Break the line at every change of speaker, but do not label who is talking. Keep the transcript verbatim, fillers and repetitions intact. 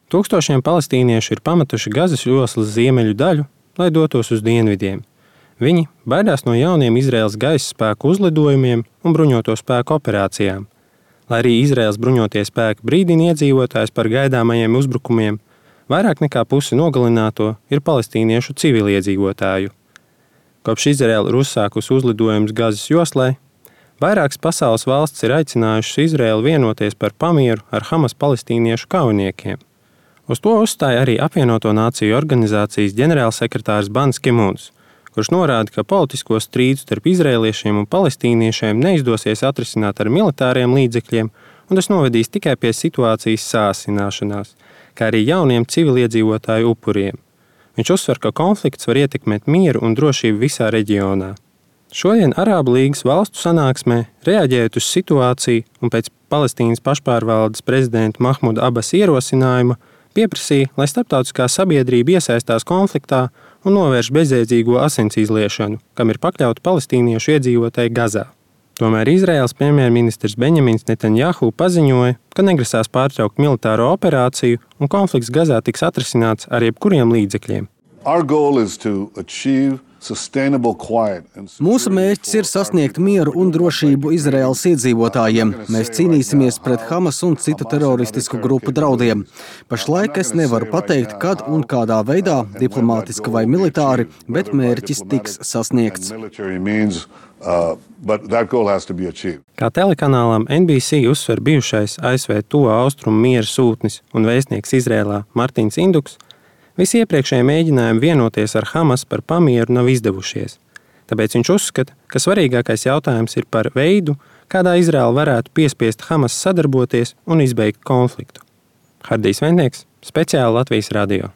Tūkstošiem palestīniešu ir pametuši Gazas joslas ziemeļu daļu, lai dotos uz dienvidiem. Viņi baidās no jauniem Izraēlas gaisa spēku uzlidojumiem un bruņoto spēku operācijām. Lai arī Izraēlas bruņotie spēki brīdina iedzīvotājus par gaidāmajiem uzbrukumiem, vairāk nekā pusi nogalināto ir palestīniešu civiliedzīvotāju. Kopš Izraēla ir uzsākusi uzlidojumus Gazas joslai, vairākas pasaules valsts ir aicinājušas Izraēlu vienoties par pamieru ar Hamas palestīniešu kaujiniekiem. Uz to uzstāja arī Apvienoto Nāciju organizācijas ģenerālsekretārs Bans Ki-mūns, kurš norāda, ka politisko strīdu starp izraēliešiem un palestīniešiem neizdosies atrisināt ar militāriem līdzekļiem, un tas novedīs tikai pie situācijas sāsināšanās, kā arī jauniem civiliedzīvotāju upuriem. Viņš uzsver, ka konflikts var ietekmēt mieru un drošību visā reģionā. Šodien Arābu līgas valstu sanāksmē, reaģējot uz situāciju un pēc Palestīnas pašpārvaldes prezidenta Mahmuda Abas ierosinājuma, pieprasīja, lai starptautiskā sabiedrība iesaistās konfliktā un novērš bezjēdzīgo asins izliešanu, kam ir pakļauti palestīniešu iedzīvotāji Gazā. Tomēr Izraēlas premjerministrs Benjamins Netanjahu paziņoja, ka negrasās pārtraukt militāro operāciju un konflikts Gazā tiks atrisināts ar jebkuriem līdzekļiem.
Mūsu mērķis ir sasniegt mieru un drošību Izraēlas iedzīvotājiem. Mēs cīnīsimies pret Hamas un citu teroristisku grupu draudiem. Pašlaik es nevaru pateikt, kad un kādā veidā, diplomātiski vai militāri, bet mērķis tiks sasniegts.
Kā telekanālam N B C uzsver bijušais A S V Tuvo Austrumu miera sūtnis un vēstnieks Izrēlā Martins Induks, visi iepriekšējie mēģinājumi vienoties ar Hamas par pamieru nav izdevušies. Tāpēc viņš uzskata, ka svarīgākais jautājums ir par veidu, kādā Izraēla varētu piespiest Hamas sadarboties un izbeigt konfliktu. Hardijs Ventnieks, speciāli Latvijas radio.